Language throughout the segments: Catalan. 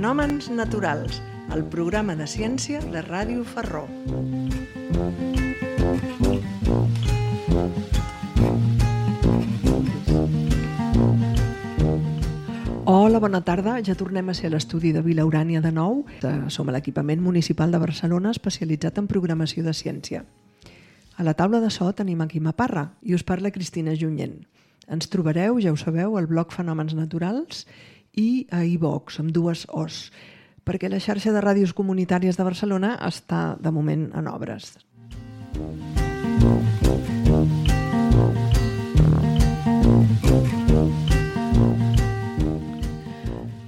Fenòmens naturals, el programa de ciència de Ràdio Ferró. Hola, bona tarda. Ja tornem a ser a l'estudi de Vila Urània de nou. Som a l'equipament municipal de Barcelona especialitzat en programació de ciència. A la taula de so tenim a Quim Parra i us parla Cristina Junyent. Ens trobareu, ja ho sabeu, al blog Fenòmens Naturals i a iVox, amb dues Os, perquè la xarxa de ràdios comunitàries de Barcelona està, de moment, en obres.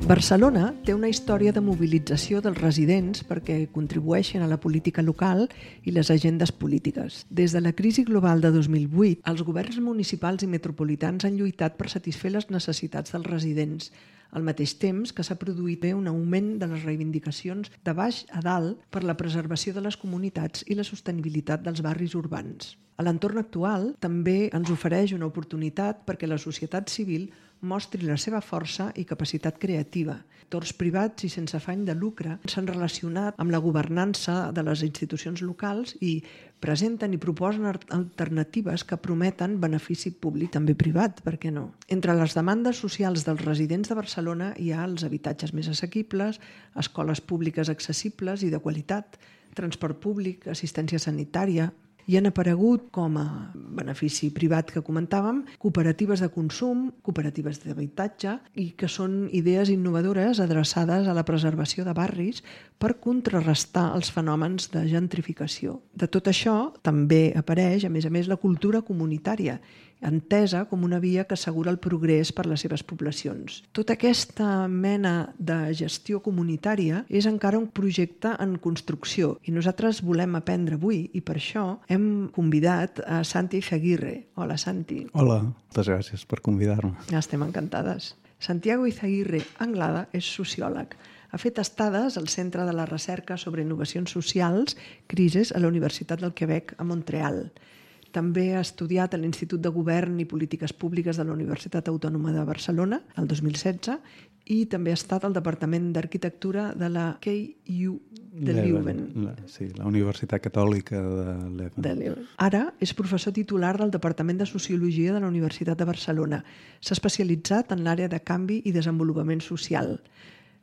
Barcelona té una història de mobilització dels residents perquè contribueixen a la política local i les agendes polítiques. Des de la crisi global de 2008, els governs municipals i metropolitans han lluitat per satisfer les necessitats dels residents, al mateix temps que s'ha produït un augment de les reivindicacions de baix a dalt per la preservació de les comunitats i la sostenibilitat dels barris urbans. A l'entorn actual també ens ofereix una oportunitat perquè la societat civil mostri la seva força i capacitat creativa. Actors privats i sense afany de lucre s'han relacionat amb la governança de les institucions locals i presenten i proposen alternatives que prometen benefici públic, també privat, per què no? Entre les demandes socials dels residents de Barcelona hi ha els habitatges més assequibles, escoles públiques accessibles i de qualitat, transport públic, assistència sanitària. Hi han aparegut, com a benefici privat que comentàvem, cooperatives de consum, cooperatives d'habitatge i que són idees innovadores adreçades a la preservació de barris per contrarrestar els fenòmens de gentrificació. De tot això també apareix, a més, la cultura comunitària, entesa com una via que assegura el progrés per les seves poblacions. Tota aquesta mena de gestió comunitària és encara un projecte en construcció i nosaltres volem aprendre avui i per això hem convidat a Santi Izaguirre. Hola, Santi. Hola, moltes gràcies per convidar-me. Estem encantades. Santiago Izaguirre Anglada és sociòleg. Ha fet estades al Centre de la Recerca sobre Innovacions Socials, CRISES, a la Universitat del Quebec, a Montreal. També ha estudiat a l'Institut de Govern i Polítiques Públiques de la Universitat Autònoma de Barcelona, el 2016, i també ha estat al Departament d'Arquitectura de la KU de Leuven. Sí, la Universitat Catòlica de Leuven. Ara és professor titular del Departament de Sociologia de la Universitat de Barcelona. S'ha especialitzat en l'àrea de canvi i desenvolupament social.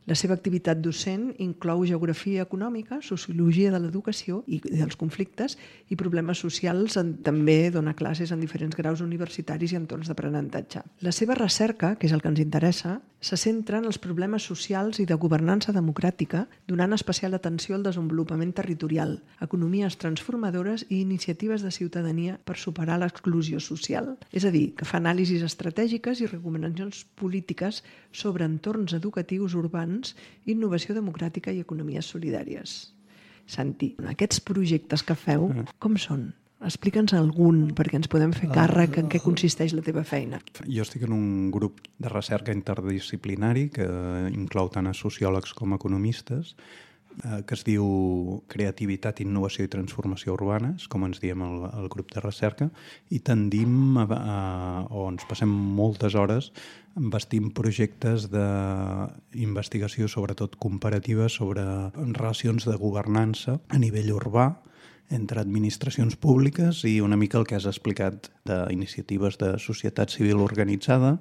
La seva activitat docent inclou geografia econòmica, sociologia de l'educació i dels conflictes i problemes socials. També dona classes en diferents graus universitaris i entorns d'aprenentatge. La seva recerca, que és el que ens interessa, se centra en els problemes socials i de governança democràtica, donant especial atenció al desenvolupament territorial, economies transformadores i iniciatives de ciutadania per superar l'exclusió social. És a dir, que fa anàlisis estratègiques i recomanacions polítiques sobre entorns educatius urbans, innovació democràtica i economies solidàries. Santi, aquests projectes que feu, com són? Explica'ns algun, perquè ens podem fer càrrec en què consisteix la teva feina. Jo estic en un grup de recerca interdisciplinari que inclou tant a sociòlegs com a economistes, que es diu Creativitat, Innovació i Transformació Urbanes, com ens diem el grup de recerca, i tendim o ens passem moltes hores bastint projectes d'investigació, sobretot comparativa, sobre relacions de governança a nivell urbà entre administracions públiques i una mica el que has explicat d'iniciatives de societat civil organitzada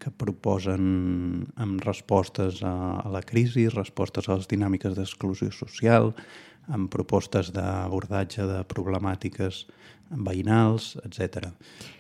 que proposen amb respostes a la crisi, respostes a les dinàmiques d'exclusió social, amb propostes d'abordatge de problemàtiques veïnals, etc.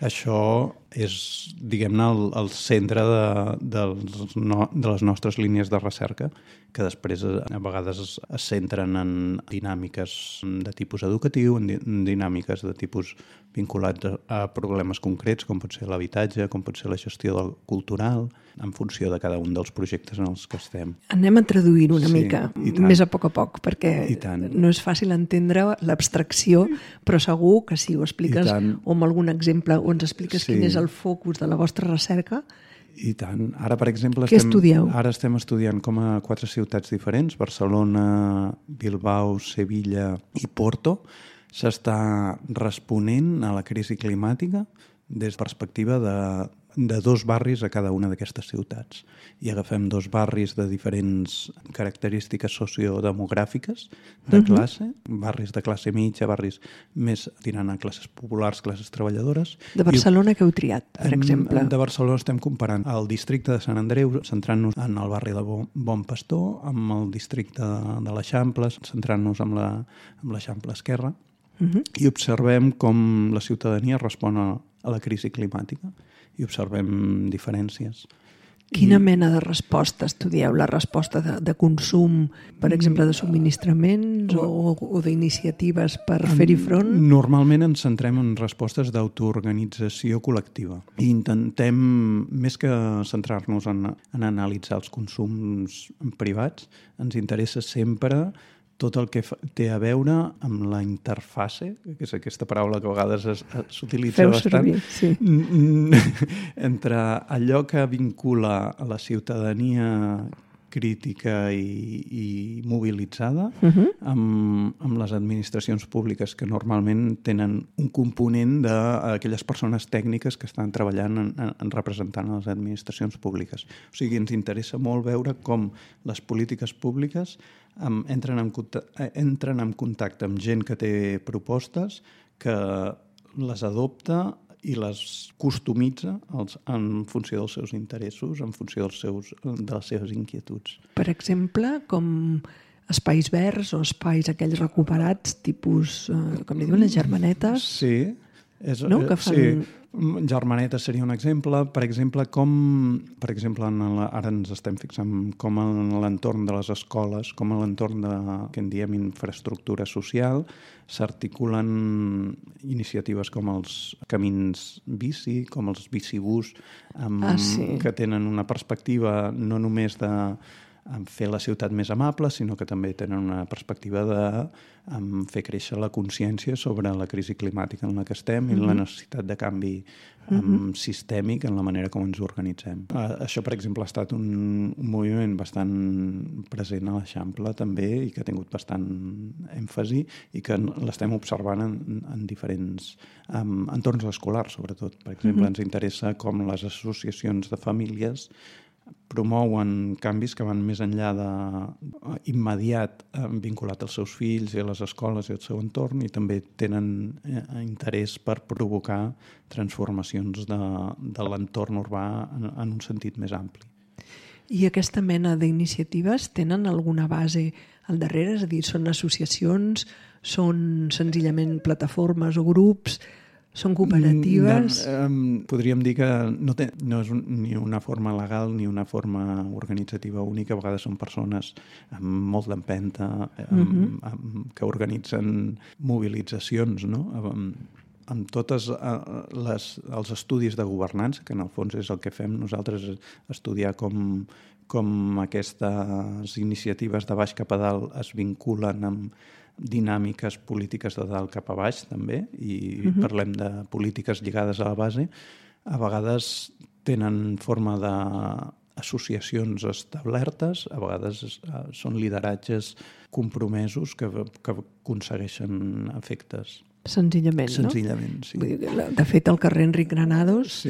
Això és, diguem-ne, el centre de les nostres línies de recerca, que després a vegades es centren en dinàmiques de tipus educatiu, en dinàmiques de tipus vinculats a problemes concrets, com pot ser l'habitatge, com pot ser la gestió cultural, en funció de cada un dels projectes en els que estem. Anem a traduir una mica, més a poc, perquè no és fàcil entendre l'abstracció, però segur que si ho expliques o amb algun exemple o ens expliques quin és el focus de la vostra recerca. I tant. Ara, per exemple, què estudieu? Ara estem estudiant com a 4 ciutats diferents, Barcelona, Bilbao, Sevilla i Porto. S'està responent a la crisi climàtica des de perspectiva de 2 barris a cada una d'aquestes ciutats. I agafem 2 barris de diferents característiques sociodemogràfiques de classe, barris de classe mitja, barris més tirant a classes populars, classes treballadores. De Barcelona que heu triat, per exemple? De Barcelona estem comparant el districte de Sant Andreu, centrant-nos en el barri de Bon Pastor, amb el districte de l'Eixample, centrant-nos amb l'Eixample Esquerra, i observem com la ciutadania respon a la crisi climàtica i observem diferències. Quina mena de resposta estudieu? La resposta de consum, per exemple, de subministraments o d'iniciatives per fer-hi front? Normalment ens centrem en respostes d'autoorganització col·lectiva. I intentem, més que centrar-nos en analitzar els consums privats, ens interessa sempre tot el que té a veure amb la interfase, que és aquesta paraula que a vegades s'utilitza bastant, entre allò que vincula a la ciutadania crítica i mobilitzada amb les administracions públiques, que normalment tenen un component d'aquelles persones tècniques que estan treballant en representant a les administracions públiques. O sigui, ens interessa molt veure com les polítiques públiques entren en contacte amb gent que té propostes, que les adopta i les customitza en funció dels seus interessos, en funció de les seves inquietuds. Per exemple, com espais verds o espais aquells recuperats, tipus, com li diuen, les germanetes? Sí. No? Que fan... Sí. Germaneta seria un exemple. Per exemple, ara ens estem fixant com en l'entorn de les escoles, com en l'entorn de, que en diem, infraestructura social, s'articulen iniciatives com els camins bici, com els bicibús, que tenen una perspectiva no només de fer la ciutat més amable, sinó que també tenen una perspectiva de fer créixer la consciència sobre la crisi climàtica en la que estem i la necessitat de canvi sistèmic en la manera com ens organitzem. Això, per exemple, ha estat un moviment bastant present a l'Eixample també i que ha tingut bastant èmfasi i que l'estem observant en diferents entorns escolars, sobretot. Per exemple, ens interessa com les associacions de famílies promouen canvis que van més enllà immediat vinculat als seus fills i a les escoles i al seu entorn, i també tenen interès per provocar transformacions de l'entorn urbà en un sentit més ampli. I aquesta mena d'iniciatives tenen alguna base al darrere? És a dir, són associacions, són senzillament plataformes o grups, són cooperatives? Podríem dir que no és ni una forma legal ni una forma organitzativa única. A vegades són persones amb molt d'empenta que organitzen mobilitzacions, no? Amb tots els estudis de governança, que en el fons és el que fem nosaltres, estudiar com aquestes iniciatives de baix cap a dalt es vinculen amb dinàmiques polítiques de dalt cap a baix també, i parlem de polítiques lligades a la base. A vegades tenen forma d'associacions establertes, a vegades són lideratges compromesos que aconsegueixen efectes. Senzillament, no? Senzillament, sí. De fet, el carrer Enric Granados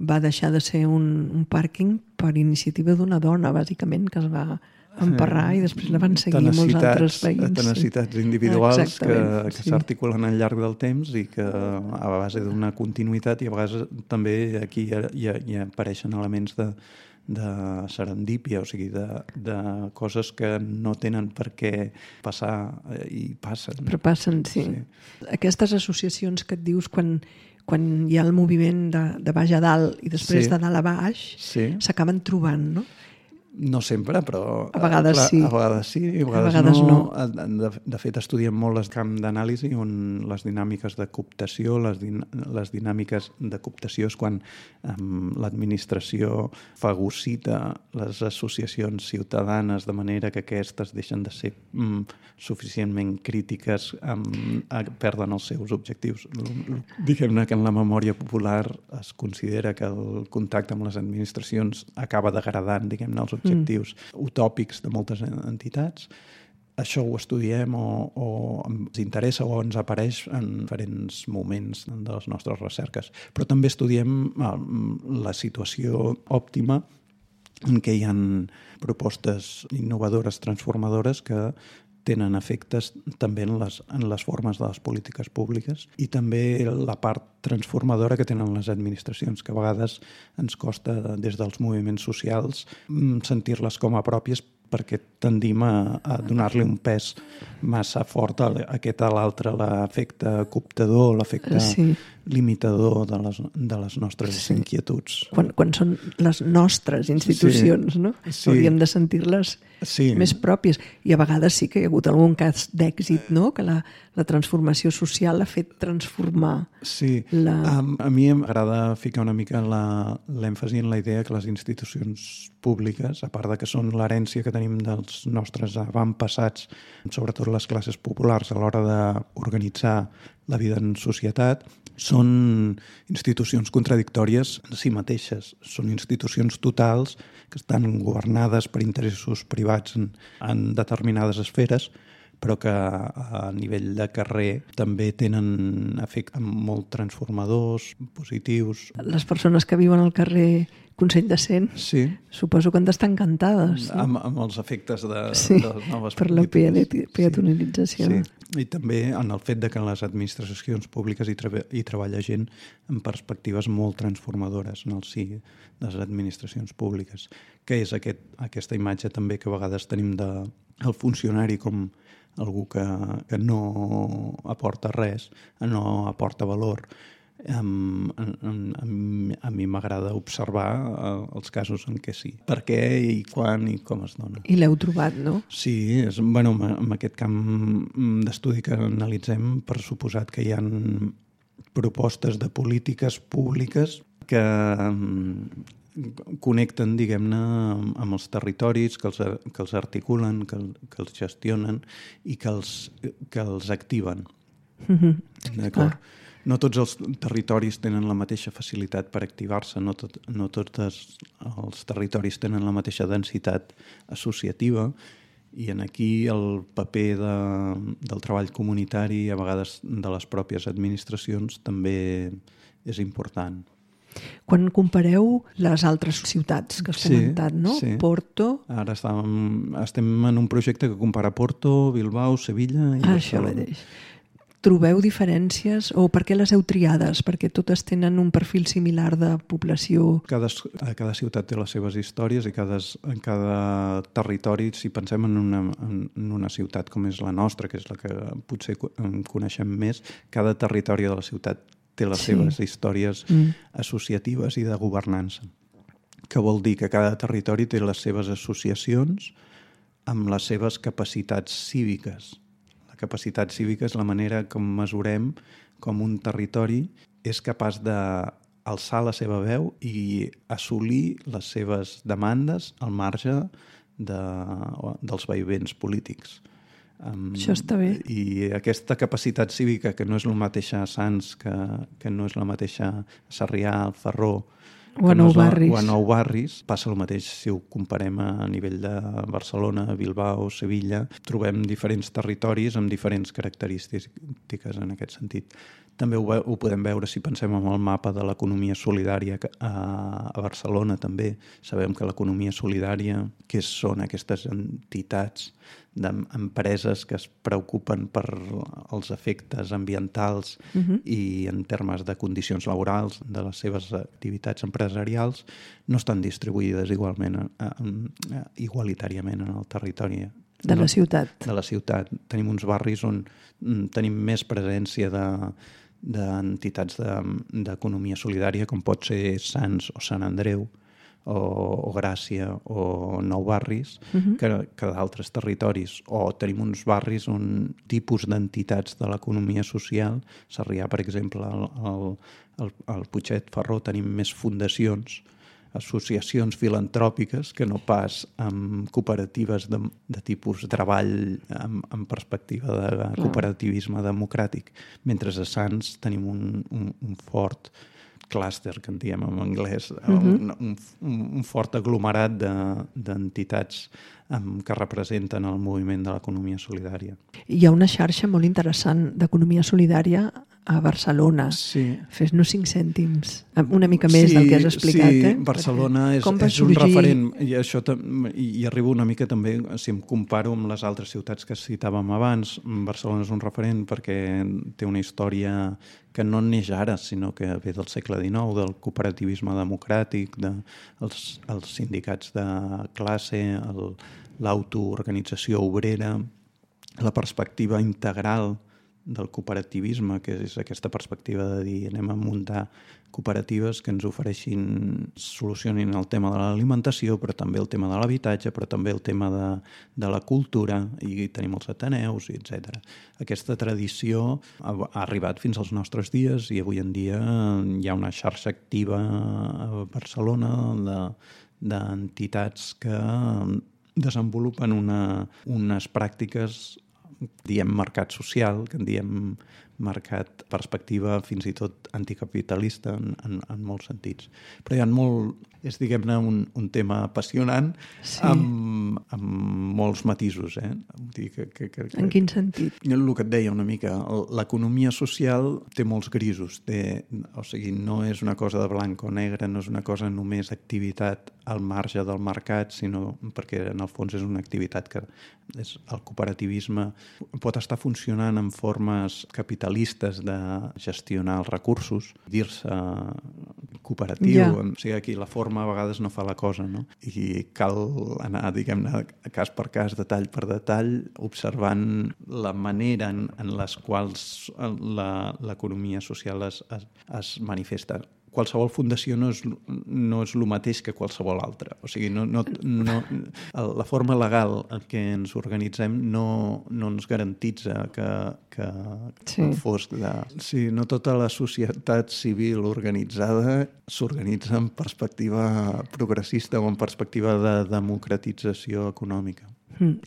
va deixar de ser un pàrquing per iniciativa d'una dona, bàsicament, que es va emparrar i després la van seguir molts altres veïns. Tenacitats individuals que s'articulen al llarg del temps i que a base d'una continuïtat, i a vegades també aquí hi apareixen elements de serendípia, o sigui, de coses que no tenen per què passar i passen. Però passen, sí. Aquestes associacions que et dius quan hi ha el moviment de baix a dalt i després de dalt a baix, s'acaben trobant, no? No sempre, però... A vegades sí. A vegades sí, a vegades no. De fet, estudiem molt el camp d'anàlisi on les dinàmiques de cooptació, les dinàmiques de cooptació és quan l'administració fagocita les associacions ciutadanes de manera que aquestes deixen de ser suficientment crítiques, perden els seus objectius. Diguem-ne que en la memòria popular es considera que el contacte amb les administracions acaba degradant, diguem-ne, els objectius utòpics de moltes entitats, això ho estudiem o ens interessa o ens apareix en diferents moments de les nostres recerques. Però també estudiem la situació òptima en què hi ha propostes innovadores, transformadores, que tenen efectes també en les formes de les polítiques públiques i també la part transformadora que tenen les administracions, que a vegades ens costa des dels moviments socials sentir-les com a pròpies perquè tendim a donar-li un pes massa fort a aquest a l'altre, l'efecte cooptador, l'efecte limitador de les nostres inquietuds. Quan són les nostres institucions, no? Hauríem de sentir-les més pròpies. I a vegades sí que hi ha hagut algun cas d'èxit, no? Que la transformació social ha fet transformar. Sí, a mi m'agrada ficar una mica l'èmfasi en la idea que les institucions públiques, a part de que són l'herència que tenim dels nostres avantpassats, sobretot les classes populars a l'hora d'organitzar la vida en societat, són institucions contradictòries en si mateixes. Són institucions totals que estan governades per interessos privats en determinades esferes, però que a nivell de carrer també tenen efectes molt transformadors, positius. Les persones que viuen al carrer Consell de Cent, suposo que han d'estar encantades. No? Amb els efectes de les noves per la peatonalització. Sí. I també en el fet de que en les administracions públiques hi treballa gent amb perspectives molt transformadores en el si de les administracions públiques, que és aquesta imatge també que a vegades tenim del funcionari com algú que no aporta res, no aporta valor. A mi m'agrada observar els casos en què sí. Per què i quan i com es dona. I l'heu trobat, no? Sí, en aquest camp d'estudi que analitzem, per suposat que hi ha propostes de polítiques públiques que connecten, diguem-ne, amb els territoris, que els articulen, que els gestionen i que els activen. D'acord? No tots els territoris tenen la mateixa facilitat per activar-se, no tots els territoris tenen la mateixa densitat associativa i aquí el paper del treball comunitari, a vegades de les pròpies administracions, també és important. Quan compareu les altres ciutats que has comentat, no? Sí. Porto... Ara estem en un projecte que compara Porto, Bilbao, Sevilla i Barcelona. Això mateix. Trobeu diferències o per què les heu triades? Perquè totes tenen un perfil similar de població? Cada ciutat té les seves històries i en cada territori, si pensem en una ciutat com és la nostra, que és la que potser coneixem més, cada territori de la ciutat té les seves històries associatives i de governança. Que vol dir que cada territori té les seves associacions amb les seves capacitats cíviques. Capacitat cívica és la manera com mesurem com un territori és capaç d'alçar la seva veu i assolir les seves demandes al marge dels vaivens polítics. Això està bé. I aquesta capacitat cívica, que no és el mateix a Sants, que no és la mateixa a Sarrià, al Ferró, o a Nou Barris, passa el mateix si ho comparem a nivell de Barcelona, Bilbao, Sevilla. Trobem diferents territoris amb diferents característiques en aquest sentit. També ho podem veure si pensem en el mapa de l'economia solidària a Barcelona també. Sabem que l'economia solidària, què són aquestes entitats d'empreses que es preocupen per els efectes ambientals i en termes de condicions laborals de les seves activitats empresarials, no estan distribuïdes igualitàriament en el territori. De la ciutat. De la ciutat. Tenim uns barris on tenim més presència d'entitats d'economia solidària, com pot ser Sants o Sant Andreu, o Gràcia o Nou Barris, que d'altres territoris. O tenim uns barris on tipus d'entitats de l'economia social, Sarrià, per exemple, al Putxet Ferró tenim més fundacions, associacions filantròpiques que no pas amb cooperatives de tipus treball en perspectiva de cooperativisme democràtic. Mentre a Sants tenim un fort clúster, que en diem en anglès, un fort aglomerat d'entitats que representen el moviment de l'economia solidària. Hi ha una xarxa molt interessant d'economia solidària a Barcelona. Sí. Fes-nos 5 cèntims, una mica més del que has explicat. Sí, Barcelona és un referent, i això i arribo una mica també, si em comparo amb les altres ciutats que citàvem abans, Barcelona és un referent perquè té una història que no neix ara, sinó que ve del segle XIX, del cooperativisme democràtic, els sindicats de classe, l'autoorganització obrera, la perspectiva integral del cooperativisme, que és aquesta perspectiva de dir anem a muntar cooperatives que ens ofereixin, solucionin el tema de l'alimentació, però també el tema de l'habitatge, però també el tema de la cultura, i tenim els ateneus, etc. Aquesta tradició ha arribat fins als nostres dies i avui en dia hi ha una xarxa activa a Barcelona d'entitats que desenvolupen unes pràctiques, diem mercat social, que en diem mercat perspectiva fins i tot anticapitalista en molts sentits. Però hi ha és diguem-ne un tema apassionant, sí, amb molts matisos. En quin sentit? El que et deia una mica, l'economia social té molts grisos, o sigui, no és una cosa de blanc o negre, no és una cosa només activitat al marge del mercat, sinó perquè en el fons és una activitat que és el cooperativisme pot estar funcionant en formes capitalistes de gestionar els recursos, dir-se cooperatiu, o sigui, aquí la forma a vegades no fa la cosa, no? I cal anar, diguem-ne, cas per cas, detall per detall, observant la manera en les quals l'economia social es manifesta. Qualsevol fundació no és el mateix que qualsevol altra. O sigui, la forma legal en què ens organitzem no ens garantitza que fos Sí, no tota la societat civil organitzada s'organitza en perspectiva progressista o en perspectiva de democratització econòmica.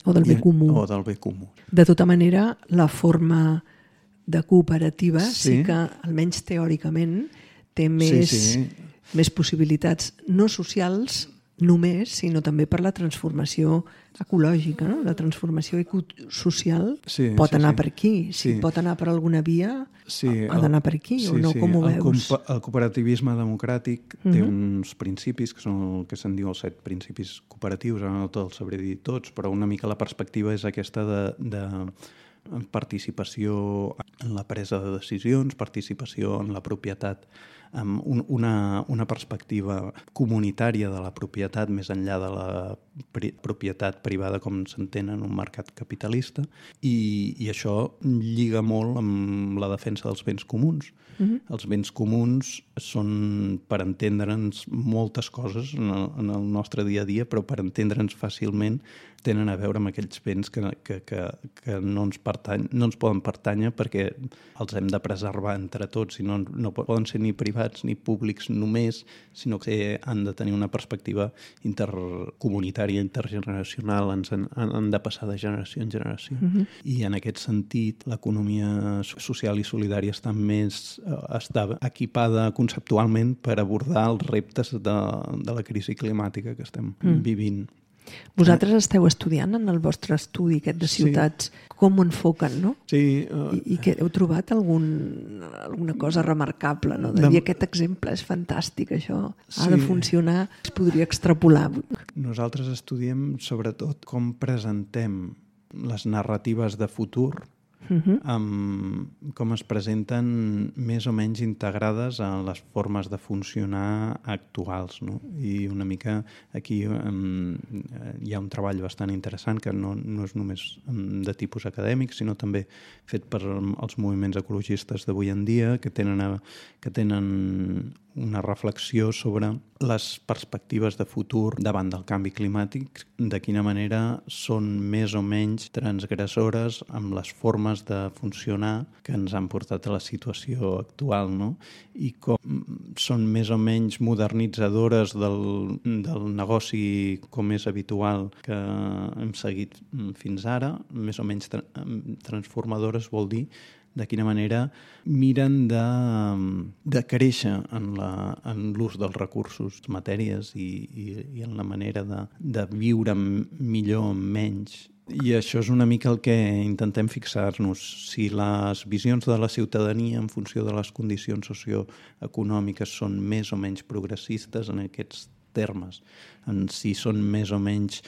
O del bé comú. O del bé comú. De tota manera, la forma de cooperativa sí que, almenys teòricament, té més possibilitats no socials només, sinó també per la transformació ecològica, no? La transformació ecosocial pot anar per aquí. Si pot anar per alguna via, ha d'anar per aquí, o no? Com ho veus? El cooperativisme democràtic té uns principis, que són el que se'n diu els 7 principis cooperatius, ara no te'ls sabré dir tots, però una mica la perspectiva és aquesta de participació en la presa de decisions, participació en la propietat, amb una perspectiva comunitària de la propietat més enllà de la propietat privada com s'entén en un mercat capitalista, i això lliga molt amb la defensa dels béns comuns. Els béns comuns són, per entendre'ns, moltes coses en el nostre dia a dia, però per entendre'ns fàcilment tenen a veure amb aquells béns que no ens poden pertànyer perquè els hem de preservar entre tots i no poden ser ni privats ni públics només, sinó que han de tenir una perspectiva intercomunitària, intergeneracional, han de passar de generació en generació. I en aquest sentit, l'economia social i solidària està equipada conceptualment per abordar els reptes de la crisi climàtica que estem vivint. Vosaltres esteu estudiant en el vostre estudi aquest de ciutats com ho enfoquen, no? Sí. I que heu trobat alguna cosa remarcable, no? De dir aquest exemple és fantàstic, això ha de funcionar, es podria extrapolar. Nosaltres estudiem sobretot com presentem les narratives de futur, com es presenten més o menys integrades a les formes de funcionar actuals, no? I una mica aquí hi ha un treball bastant interessant que no és només de tipus acadèmic, sinó també fet per els moviments ecologistes d'avui en dia, que tenen una reflexió sobre les perspectives de futur davant del canvi climàtic, de quina manera són més o menys transgressores amb les formes de funcionar que ens han portat a la situació actual, no? I com són més o menys modernitzadores del negoci com és habitual que hem seguit fins ara, més o menys transformadores vol dir de quina manera miren de créixer en l'ús dels recursos, matèries i en la manera de viure millor amb menys. I això és una mica el que intentem fixar-nos. Si les visions de la ciutadania en funció de les condicions socioeconòmiques són més o menys progressistes en aquests termes, si són més o menys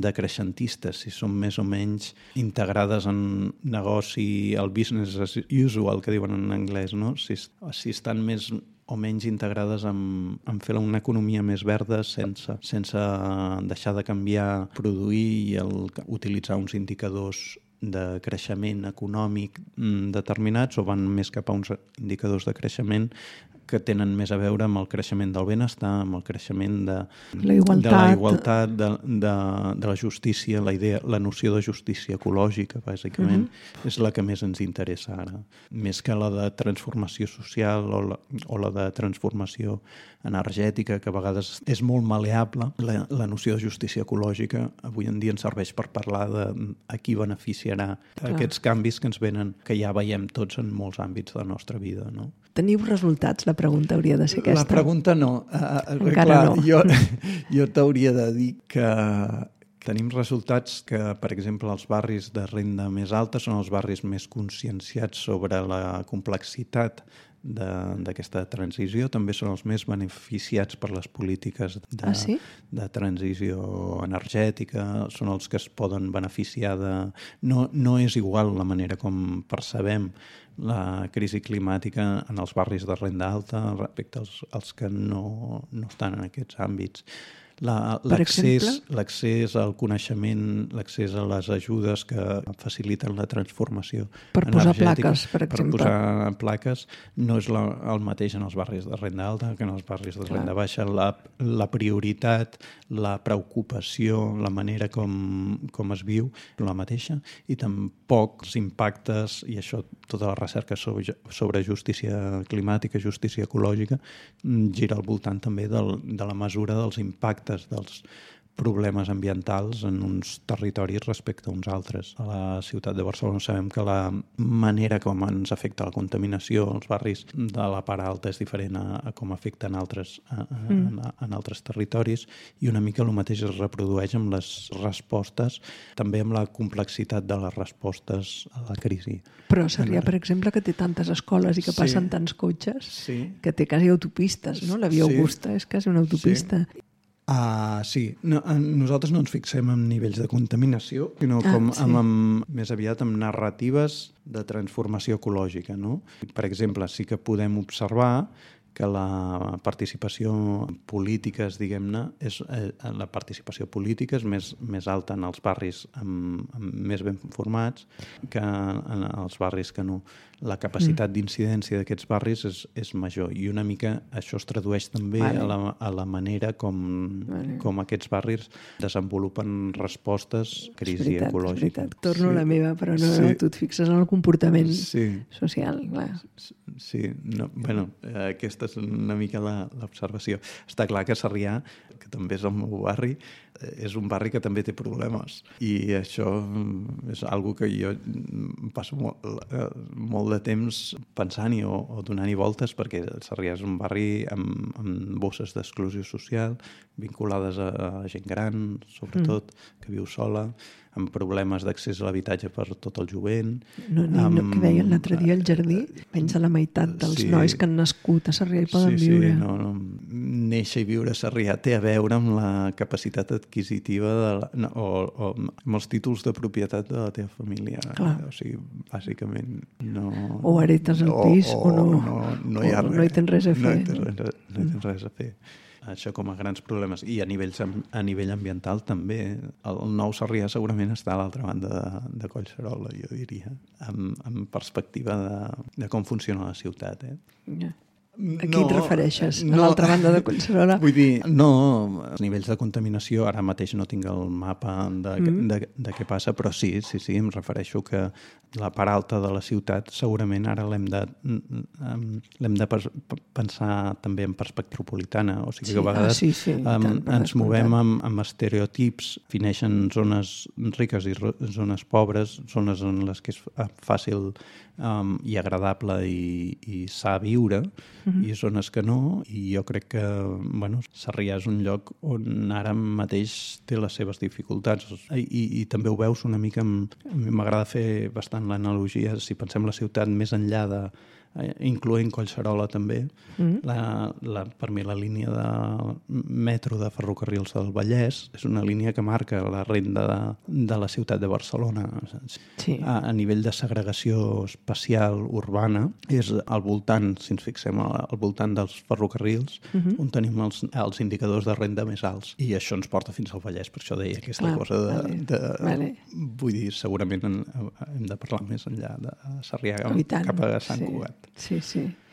decreixentistes, si són més o menys integrades en negoci, el business as usual, que diuen en anglès, no? Si estan més o menys integrades en fer una economia més verda sense deixar de canviar, produir i utilitzar uns indicadors de creixement econòmic determinats, o van més cap a uns indicadors de creixement que tenen més a veure amb el creixement del benestar, amb el creixement de la igualtat, de la justícia, la noció de justícia ecològica, bàsicament, és la que més ens interessa ara. Més que la de transformació social o la de transformació energètica, que a vegades és molt maleable. La noció de justícia ecològica avui en dia ens serveix per parlar de a qui beneficiarà aquests canvis que ens venen, que ja veiem tots en molts àmbits de la nostra vida, no? Teniu resultats? La pregunta hauria de ser aquesta. La pregunta no. Encara no. Jo t'hauria de dir que tenim resultats que, per exemple, els barris de renda més alta són els barris més conscienciats sobre la complexitat d'aquesta transició. També són els més beneficiats per les polítiques de transició energètica, són els que es poden beneficiar de... No és igual la manera com percebem la crisi climàtica en els barris de renda alta respecte als que no estan en aquests àmbits. L'accés al coneixement, l'accés a les ajudes que faciliten la transformació per posar plaques, per exemple. Per posar plaques no és el mateix en els barris de renda alta que en els barris de renda baixa. La prioritat, la preocupació, la manera com es viu, la mateixa, i tampoc els impactes, i això tota la recerca sobre justícia climàtica, justícia ecològica, gira al voltant també de la mesura dels impactes dels problemes ambientals en uns territoris respecte a uns altres. A la ciutat de Barcelona sabem que la manera com ens afecta la contaminació als barris de la part alta és diferent a com afecta en altres territoris, i una mica el mateix es reprodueix amb les respostes, també amb la complexitat de les respostes a la crisi. Però Sarrià, per exemple, que té tantes escoles i que passen tants cotxes, que té quasi autopistes, no? La Via Augusta és quasi una autopista. Sí. Nosaltres no ens fixem en nivells de contaminació, sinó més aviat amb narratives de transformació ecològica, no? Per exemple, sí que podem observar que la participació en polítiques, diguem-ne, la participació política és més alta en els barris més ben formats que en els barris que no. La capacitat d'incidència d'aquests barris és major, i una mica això es tradueix també a la manera com aquests barris desenvolupen respostes a crisi ecològica. És veritat. Torno a la meva, però no, tu et fixes en el comportament social. Clar. Sí, aquesta és una mica l'observació. Està clar que Sarrià, que també és el meu barri, és un barri que també té problemes, i això és algo que jo passo molt de temps pensant-hi o donant-hi voltes, perquè Sarrià és un barri amb bosses d'exclusió social vinculades a gent gran, sobretot, que viu sola, amb problemes d'accés a l'habitatge per tot el jovent. Que deien l'altre dia al jardí, menys de la meitat dels nois que han nascut a Sarrià hi poden viure. Néixer i viure a Sarrià té a veure amb la capacitat adquisitiva o amb els títols de propietat de la teva família. O sigui, bàsicament no... O heretes el pis o no. No hi ha res. No hi tens res a fer. No hi tens res a fer. Això com a grans problemes. I a nivell ambiental també. El nou Sarrià segurament està a l'altra banda de Collserola, jo diria, amb perspectiva de com funciona la ciutat. A qui et refereixes? A l'altra banda de Collserola? Vull dir, els nivells de contaminació, ara mateix no tinc el mapa de què passa, però sí, em refereixo que la part alta de la ciutat segurament ara l'hem de pensar també en perspectiva metropolitana, o sigui que a vegades ens movem amb estereotips, defineixen zones riques i zones pobres, zones en les que és fàcil i agradable i sa a viure, i zones que no, i jo crec que Sarrià és un lloc on ara mateix té les seves dificultats i també ho veus una mica, a mi m'agrada fer bastant l'analogia, si pensem la ciutat més enllà de incloent Collserola també, per mi la línia de metro de ferrocarrils del Vallès és una línia que marca la renda de la ciutat de Barcelona. Sí. A nivell de segregació espacial urbana és al voltant, si ens fixem al voltant dels ferrocarrils, on tenim els indicadors de renda més alts, i això ens porta fins al Vallès, per això deia aquesta cosa de vull dir, segurament hem de parlar més enllà de Sarrià cap a Sant Cugat. Sí.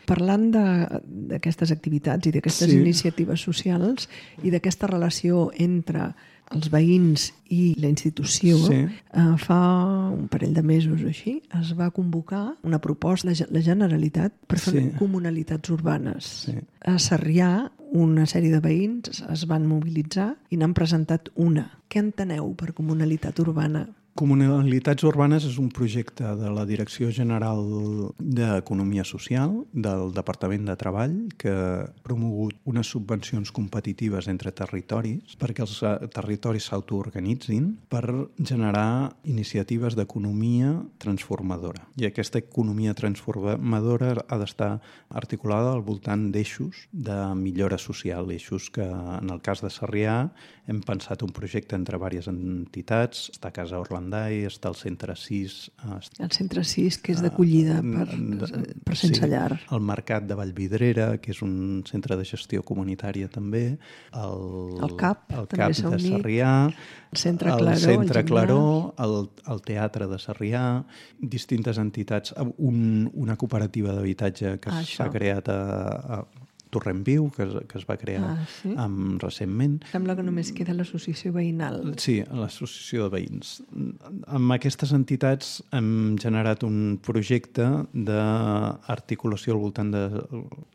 Parlant d'aquestes activitats i d'aquestes iniciatives socials i d'aquesta relació entre els veïns i la institució, fa un parell de mesos o així es va convocar una proposta de la Generalitat per fer comunalitats urbanes. A Sarrià una sèrie de veïns es van mobilitzar i n'han presentat una. Què enteneu per comunalitat urbana? Comunalitats urbanes és un projecte de la Direcció General d'Economia Social del Departament de Treball que ha promogut unes subvencions competitives entre territoris perquè els territoris s'autoorganitzin per generar iniciatives d'economia transformadora. I aquesta economia transformadora ha d'estar articulada al voltant d'eixos de millora social, eixos que en el cas de Sarrià hem pensat un projecte entre diverses entitats, està a Casa Orlandai, està al Centre 6... El Centre 6, que és d'acollida per sense llar. El Mercat de Vallvidrera, que és un centre de gestió comunitària també, el CAP de Sarrià, el Centre Claró, el Teatre de Sarrià, distintes entitats, una cooperativa d'habitatge que s'ha creat a Torrent Viu, que es va crear recentment. Sembla que només queda l'associació veïnal. Sí, l'associació de veïns. Amb aquestes entitats hem generat un projecte d'articulació al voltant de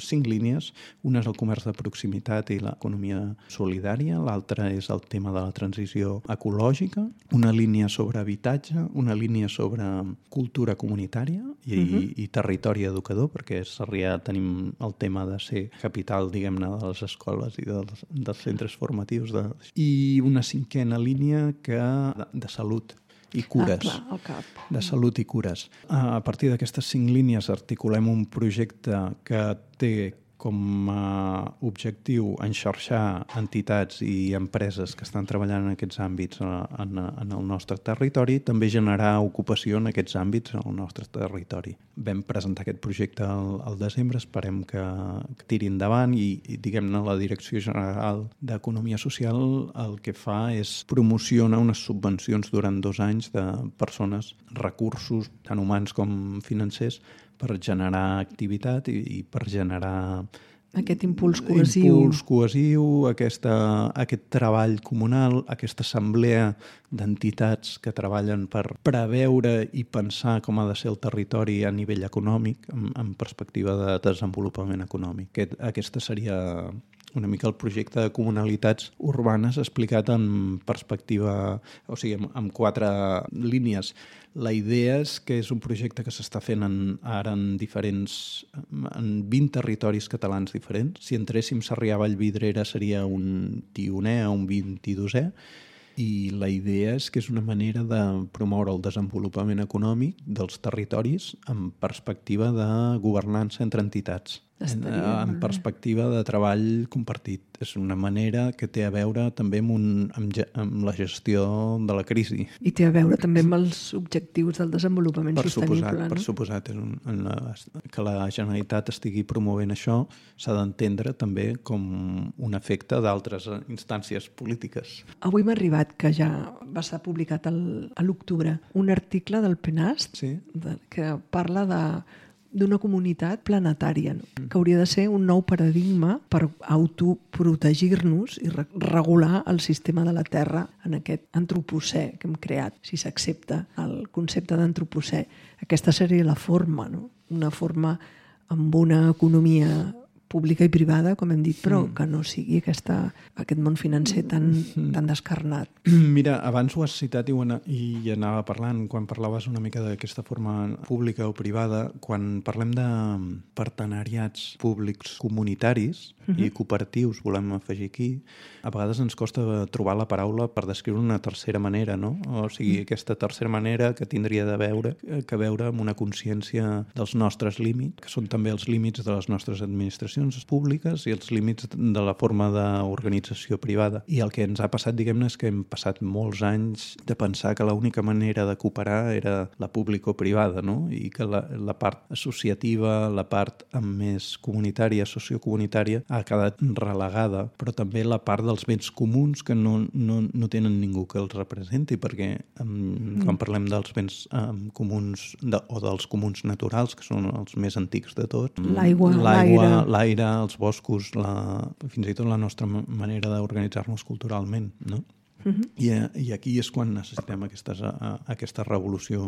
5 línies. Una és el comerç de proximitat i l'economia solidària, l'altra és el tema de la transició ecològica, una línia sobre habitatge, una línia sobre cultura comunitària i territori educador, perquè a Sarrià tenim el tema de ser capital, diguem-ne, de les escoles i dels centres formatius. I una 5a línia de salut i cures. El CAP. De salut i cures. A partir d'aquestes 5 línies articulem un projecte que té com a objectiu enxarxar entitats i empreses que estan treballant en aquests àmbits en el nostre territori, també generar ocupació en aquests àmbits en el nostre territori. Vam presentar aquest projecte al desembre, esperem que tiri endavant i diguem-ne, la Direcció General d'Economia Social el que fa és promocionar unes subvencions durant 2 anys de persones, recursos, tant humans com financers, per generar activitat i per generar aquest impuls cohesiu, aquest treball comunal, aquesta assemblea d'entitats que treballen per preveure i pensar com ha de ser el territori a nivell econòmic, en perspectiva de desenvolupament econòmic. Aquesta seria una mica el projecte de comunalitats urbanes explicat en perspectiva, o sigui, amb 4 línies. La idea és que és un projecte que s'està fent ara en 20 territoris catalans diferents. Si entréssim Sarrià a Vallvidrera seria un 10è o un 22è, i la idea és que és una manera de promoure el desenvolupament econòmic dels territoris en perspectiva de governança entre entitats. En perspectiva de treball compartit. És una manera que té a veure també amb la gestió de la crisi. I té a veure també amb els objectius del desenvolupament sostenible. Per suposat. Que la Generalitat estigui promovent això s'ha d'entendre també com un efecte d'altres instàncies polítiques. Avui m'ha arribat que ja va estar publicat a l'octubre un article del PNAST que parla d'una comunitat planetària, que hauria de ser un nou paradigma per autoprotegir-nos i regular el sistema de la Terra en aquest antropocè que hem creat, si s'accepta el concepte d'antropocè. Aquesta seria la forma, no? Una forma amb una economia pública i privada, com hem dit, però que no sigui aquest món financer tan descarnat. Mira, abans ho has citat i anava parlant, quan parlaves una mica d'aquesta forma pública o privada, quan parlem de partenariats públics comunitaris i cooperatius, volem afegir aquí, a vegades ens costa trobar la paraula per descriure una tercera manera, no? O sigui, aquesta tercera manera que tindria de veure amb una consciència dels nostres límits, que són també els límits de les nostres administracions públiques i els límits de la forma d'organització privada. I el que ens ha passat, diguem-ne, és que hem passat molts anys de pensar que l'única manera de cooperar era la público-privada, no? I que la part associativa, la part més comunitària, sociocomunitària, ha quedat relegada, però també la part dels béns comuns que no tenen ningú que els representi, perquè quan parlem dels béns comuns o dels comuns naturals, que són els més antics de tot, l'aire, els boscos, fins i tot la nostra manera d'organitzar-nos culturalment, no? I aquí és quan necessitem aquesta revolució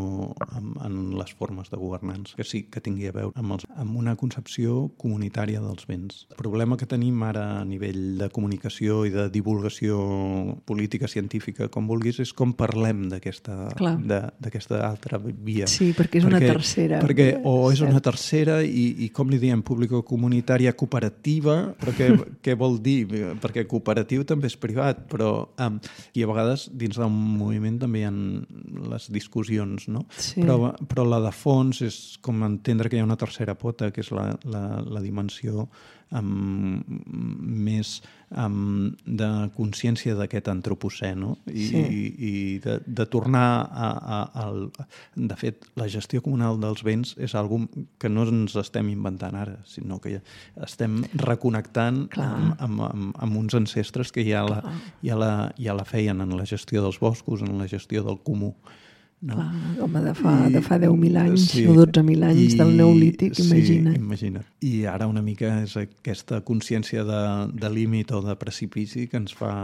en les formes de governança, que sí que tingui a veure amb una concepció comunitària dels béns. El problema que tenim ara a nivell de comunicació i de divulgació política, científica, com vulguis, és com parlem d'aquesta altra via. Sí, perquè és una tercera. És una tercera i com li diem, público-comunitària cooperativa, però què vol dir? Perquè cooperatiu també és privat, però i a vegades dins d'un moviment també hi ha les discussions, no? Sí. Però la de fons és com entendre que hi ha una tercera pota, que és la dimensió més de consciència d'aquest antropocè, no? I de tornar de fet, la gestió comunal dels béns és algo que no ens estem inventant ara, sinó que estem reconnectant amb uns ancestres que ja la feien en la gestió dels boscos, en la gestió del comú. No? Clar, home, de fa 10.000 anys o 12.000 anys del Neolític, imagina't. Sí, imagina't. I ara una mica és aquesta consciència de límit o de precipici que ens fa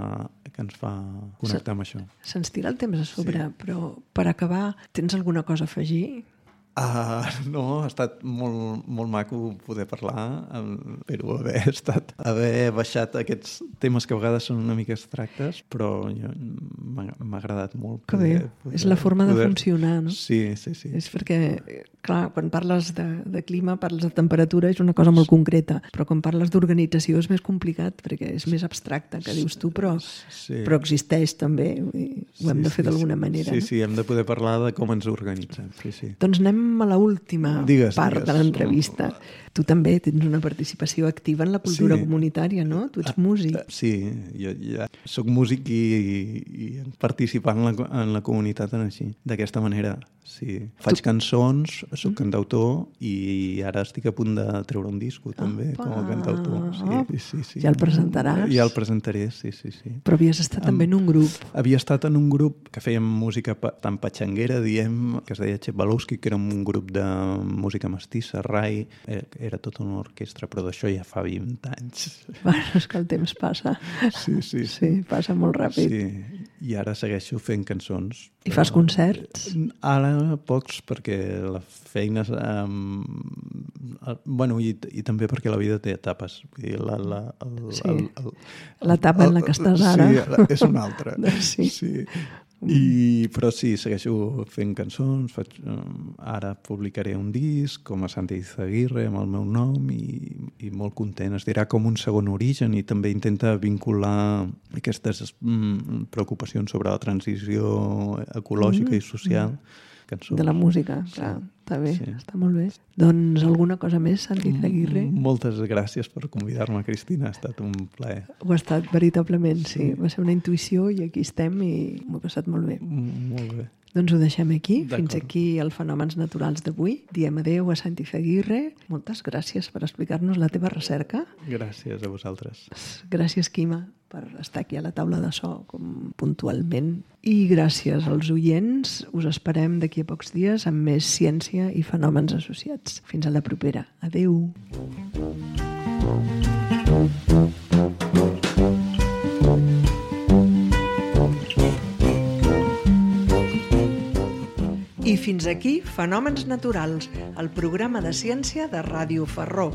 connectar amb això. Se'ns tira el temps a sobre, però per acabar, tens alguna cosa a afegir? No, ha estat molt, molt maco poder parlar, però haver baixat aquests temes que a vegades són una mica abstractes, però m'ha agradat molt. Que bé, és la forma de funcionar, no? Sí. És perquè, clar, quan parles de clima, parles de temperatura, és una cosa molt concreta, però quan parles d'organització és més complicat, perquè és més abstracte, que dius tu, però existeix també, ho hem de fer d'alguna manera. Sí, hem de poder parlar de com ens organitzem. Sí. Doncs anem a l'última part de l'entrevista. Tu també tens una participació activa en la cultura comunitària, no? Tu ets músic. Sí, jo ja soc músic i participar en la comunitat així, d'aquesta manera. Sí. Faig cançons, soc cantautor i ara estic a punt de treure un disco també com a cantautor. Sí. Ja el presentaràs? Ja el presentaré, sí. Però havies estat també en un grup. Havia estat en un grup que fèiem música tan patxanguera, diem, que es deia Txebalowski, que era un grup de música mestissa, rai, era tota una orquestra, però d'això ja fa 20 anys. Bueno, és que el temps passa. Sí, passa molt ràpid. Sí, i ara segueixo fent cançons. I fas concerts? Ara pocs, perquè la feina... I també perquè la vida té etapes. L'etapa en la que estàs ara. Sí, és una altra. Sí. Però sí, segueixo fent cançons, ara publicaré un disc com a Santi Izaguirre amb el meu nom i molt content, es dirà com un segon origen, i també intenta vincular aquestes preocupacions sobre la transició ecològica i social. Cançons. De la música, clar, està bé, està molt bé. Doncs alguna cosa més, Santi Izaguirre? Moltes gràcies per convidar-me, Cristina, ha estat un plaer. Ho ha estat, veritablement, sí. Va ser una intuïció i aquí estem i m'ho he passat molt bé. Molt bé. Doncs ho deixem aquí. Fins aquí el Fenòmens Naturals d'avui. Diem adéu a Santi Izaguirre. Moltes gràcies per explicar-nos la teva recerca. Gràcies a vosaltres. Gràcies, Quima, per estar aquí a la taula de so com puntualment. I gràcies als oients. Us esperem d'aquí a pocs dies amb més ciència i fenòmens associats. Fins a la propera. Adéu. I fins aquí Fenòmens Naturals, el programa de ciència de Ràdio Ferró.